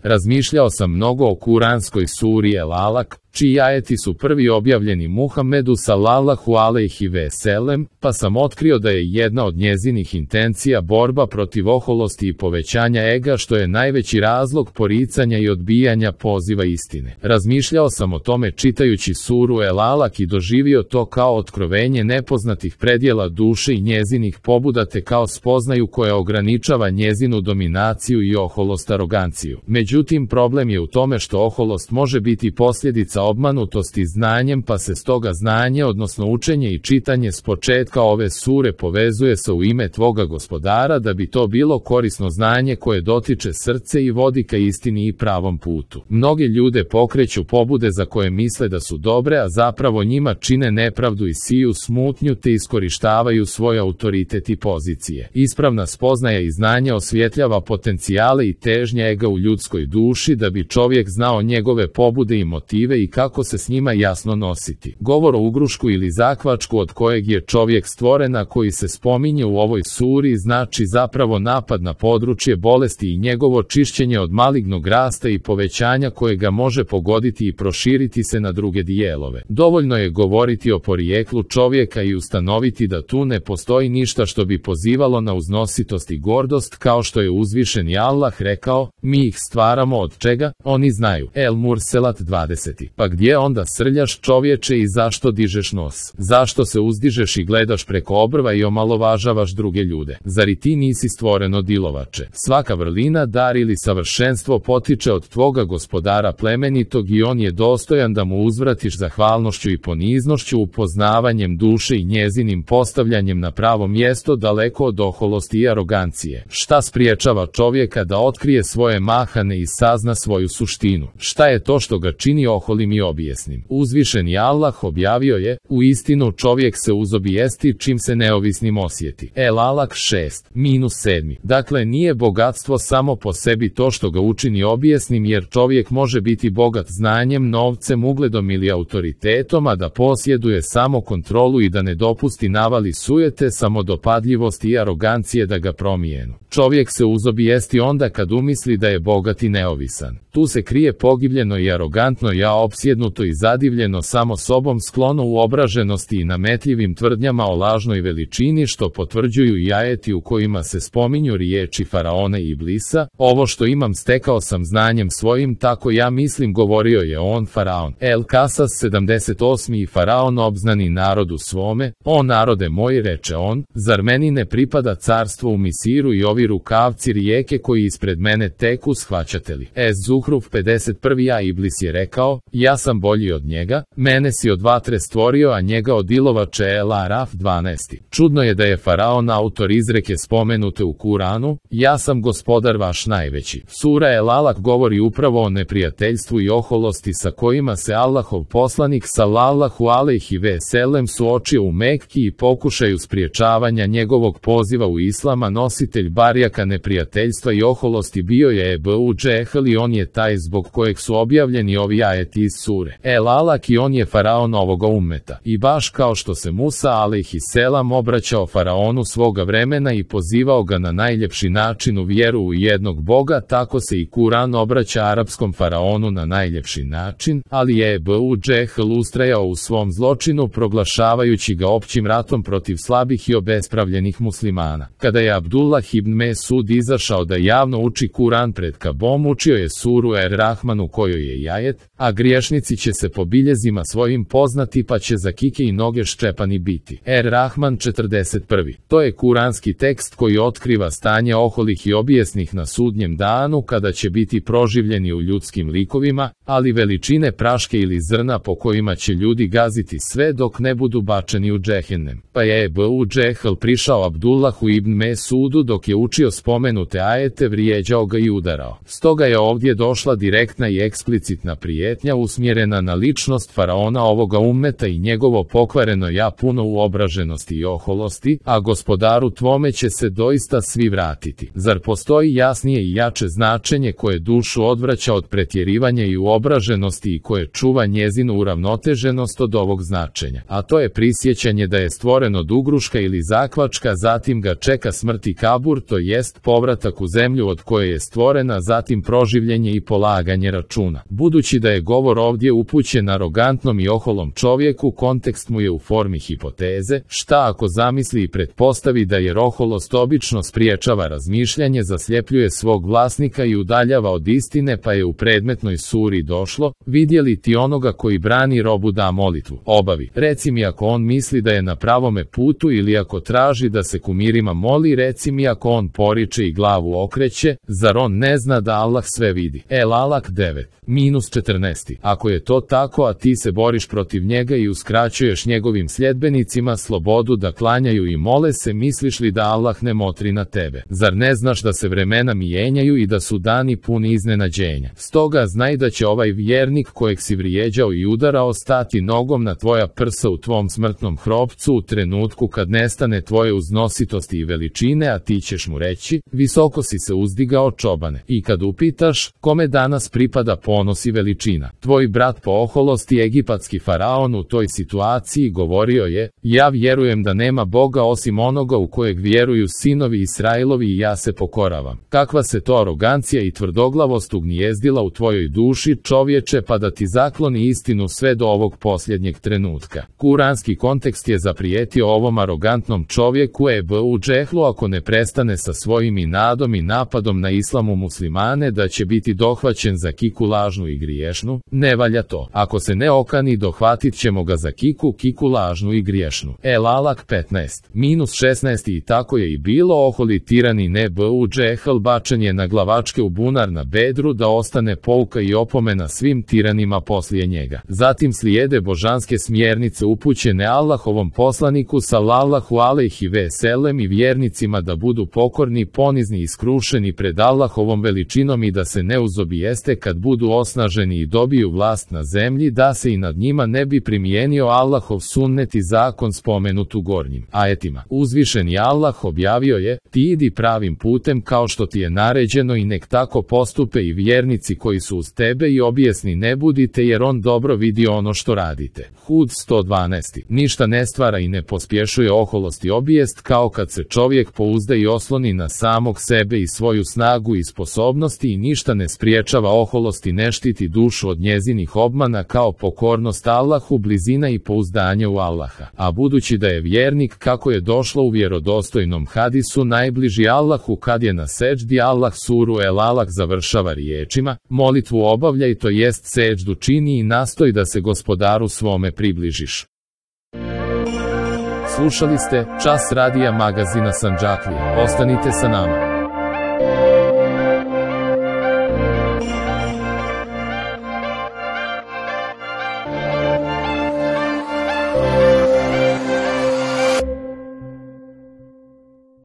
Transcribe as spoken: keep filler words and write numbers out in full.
Razmišljao sam mnogo o kuranskoj suri El Alak, čiji ajeti su prvi objavljeni Muhammedu sallallahu alejhi ve selem, pa sam otkrio da je jedna od njezinih intencija borba protiv oholosti i povećanja ega, što je najveći razlog poricanja i odbijanja poziva istine. Razmišljao sam o tome čitajući suru El Alak i doživio to kao otkrovenje nepoznatih predjela duše i njezinih pobuda, te kao spoznaju koja ograničava njezinu dominaciju i oholost aroganciju. Međutim, problem je u tome što oholost može biti posljedica obmanutosti znanjem, pa se stoga znanje, odnosno učenje i čitanje s početka ove sure povezuje sa u ime tvoga gospodara, da bi to bilo korisno znanje koje dotiče srce i vodi ka istini i pravom putu. Mnogi ljude pokreću pobude za koje misle da su dobre, a zapravo njima čine nepravdu i siju smutnju, te iskorištavaju svoj autoritet i pozicije. Ispravna spoznaja i znanje osvjetljava potencijale i težnje ega u ljudskoj duši, da bi čovjek znao njegove pobude i motive i kako se s njima jasno nositi. Govor o ugrušku ili zakvačku od kojeg je čovjek stvoren, a koji se spominje u ovoj suri, znači zapravo napad na područje bolesti i njegovo čišćenje od malignog rasta i povećanja koje ga može pogoditi i proširiti se na druge dijelove. Dovoljno je govoriti o porijeklu čovjeka i ustanoviti da tu ne postoji ništa što bi pozivalo na uznositost i gordost, kao što je uzvišeni Allah rekao: mi ih stvaramo od čega? Oni znaju. El Murselat dvadeset. Pa gdje onda srljaš, čovječe, i zašto dižeš nos? Zašto se uzdižeš i gledaš preko obrva i omalovažavaš druge ljude? Zar i ti nisi stvoreno dilovače? Svaka vrlina, dar ili savršenstvo potiče od tvoga gospodara plemenitog i on je dostojan da mu uzvratiš zahvalnošću i poniznošću, upoznavanjem duše i njezinim postavljanjem na pravo mjesto, daleko od oholosti i arogancije. Šta spriječava čovjeka da otkrije svoje mahane i sazna svoju suštinu? Šta je to što ga čini oholim i objesnim? Uzvišeni Allah objavio je: u istinu čovjek se uzobijesti čim se neovisnim osjeti. El Alak šest minus sedam. Dakle, nije bogatstvo samo po sebi to što ga učini objesnim, jer čovjek može biti bogat znanjem, novcem, ugledom ili autoritetom, a da posjeduje samo kontrolu i da ne dopusti navali sujete, samodopadljivosti i arogancije da ga promijenu. Čovjek se uzobijesti onda kad umisli da je bogat i neovisan. Tu se krije pogibljeno i arogantno ja, opsjednuto i zadivljeno samo sobom, sklono u obraženosti i nametljivim tvrdnjama o lažnoj veličini, što potvrđuju i ajeti u kojima se spominju riječi faraona i iblisa: ovo što imam stekao sam znanjem svojim, tako ja mislim, govorio je on, faraon. El Kasas sedamdeset osam. I faraon obznani narodu svome: o narode moj, reče on, zar meni ne pripada carstvo u Misiru i ovi rukavci rijeke koji ispred mene teku, shvaćate li? Es Zuhruf pedeset jedan. A iblis je rekao: ja sam bolji od njega, mene si od vatre stvorio, a njega od ilovače. El Araf dvanaest. Čudno je da je faraon autor izreke spomenute u Kuranu: ja sam gospodar vaš najveći. Sura El Alak govori upravo o neprijateljstvu i oholosti sa kojima se Allahov poslanik sallallahu alejhi ve selem suočio u Mekki i pokušaju spriječavanja njegovog poziva u islama. Nositelj barjaka neprijateljstva i oholosti bio je Ebu Džehl i on je taj zbog kojeg su objavljeni ovi ajeti iz sure El Alak, i on je faraon ovoga ummeta. I baš kao što se Musa alejhi selam obraćao faraonu svoga vremena i pozivao ga na najljepši način u vjeru u jednog Boga, tako se i Kuran obraća arapskom faraonu na najljepši način, ali je Ebu Džehl ustrajao u svom zločinu, proglašavajući ga općim ratom protiv slabih i obespravljenih muslimana. Kada je Abdullah ibn Mesud izašao da javno uči Kuran pred Kabom, učio je suru Er Rahman u kojoj je i ajet: a griješnici će se po biljezima svojim poznati, pa će za kike i noge ščepani biti. Er Rahman četrdeset jedan. To je kuranski tekst koji otkriva stanje oholih i obijesnih na sudnjem danu, kada će biti proživljeni u ljudskim likovima, ali veličine praške ili zrna po kojima će ljudi gaziti sve dok ne budu bačeni u džehennem. Pa je Ebu Džehl prišao Abdullahu ibn Mesudu dok je učio spomenute ajete, vrijeđao ga i udarao. Stoga je ovdje došla direktna i eksplicitna prijetnja u usmjerena na ličnost faraona ovoga ummeta i njegovo pokvareno ja puno uobraženosti i oholosti, a gospodaru tvome će se doista svi vratiti. Zar postoji jasnije i jače značenje koje dušu odvraća od pretjerivanja i uobraženosti i koje čuva njezinu uravnoteženost od ovog značenja? A to je prisjećanje da je stvoren od ugruška ili zakvačka, zatim ga čeka smrt i kabur, to jest povratak u zemlju od koje je stvorena, zatim proživljenje i polaganje računa. Budući da je govor ovdje upućen arogantnom i oholom čovjeku, kontekst mu je u formi hipoteze. Šta ako zamisli i pretpostavi da jer oholost obično spriječava razmišljanje, zasljepljuje svog vlasnika i udaljava od istine, pa je u predmetnoj suri došlo: vidjeli ti onoga koji brani robu da molitvu obavi. Reci mi ako on misli da je na pravome putu, ili ako traži da se kumirima moli, reci mi ako on poriče i glavu okreće, zar on ne zna da Allah sve vidi? El Alak devet minus četrnaest. Ako je to tako, a ti se boriš protiv njega i uskraćuješ njegovim sljedbenicima slobodu da klanjaju i mole se, misliš li da Allah ne motri na tebe? Zar ne znaš da se vremena mijenjaju i da su dani puni iznenađenja? Stoga znaj da će ovaj vjernik kojeg si vrijeđao i udarao stati nogom na tvoja prsa u tvom smrtnom hrobcu u trenutku kad nestane tvoje uznositosti i veličine, a ti ćeš mu reći: visoko si se uzdigao, čobane. I kad upitaš: kome danas pripada ponos i veličina? Tvoj brat po oholosti, egipatski faraon, u toj situaciji govorio je: ja vjerujem da nema Boga osim onoga u kojeg vjeruju sinovi Israilovi i ja se pokoravam. Kakva se to arogancija i tvrdoglavost ugnijezdila u tvojoj duši, čovječe, pa da ti zakloni istinu sve do ovog posljednjeg trenutka? Kuranski kontekst je zaprijetio ovom arogantnom čovjeku Ebu Džehlu ako ne prestane sa svojim inadom i napadom na islamu muslimane da će biti dohvaćen za kiku lažnu i griješnu. Ne valja to. Ako se ne okani, dohvatit ćemo ga za kiku, kiku lažnu i griješnu. El Alak petnaest minus šesnaest. I tako je i bilo. Oholi tirani Ebu Džehl bačen je na glavačke u bunar na Bedru da ostane pouka i opomena svim tiranima poslije njega. Zatim slijede božanske smjernice upućene Allahovom poslaniku sallallahu alejhi ve sellem i vjernicima da budu pokorni, ponizni i skrušeni pred Allahovom veličinom i da se ne uzobijeste kad budu osnaženi i dobiju vlast na zemlji, da se i nad njima ne bi primijenio Allahov sunnet i zakon spomenut u gornjim ajetima. Uzvišeni Allah objavio je: ti idi pravim putem kao što ti je naređeno i nek tako postupe i vjernici koji su uz tebe i objesni ne budite, jer on dobro vidi ono što radite. Hud sto dvanaest. Ništa ne stvara i ne pospješuje oholost i obijest kao kad se čovjek pouzda i osloni na samog sebe i svoju snagu i sposobnosti, i ništa ne spriječava oholost i ne štiti dušu od njezinih obmana kao pokornost Allahu, blizina i pouzdanje u Allaha. A budući da je vjernik, kako je došlo u vjerodostojnom hadisu, najbliži Allahu kad je na seđdi, Allah suru El Alak završava riječima: molitvu obavljaj, to jest seđdu čini i nastoj da se gospodaru svome približiš. Slušali ste Čas radija magazina Sandžaklije. Ostanite sa nama.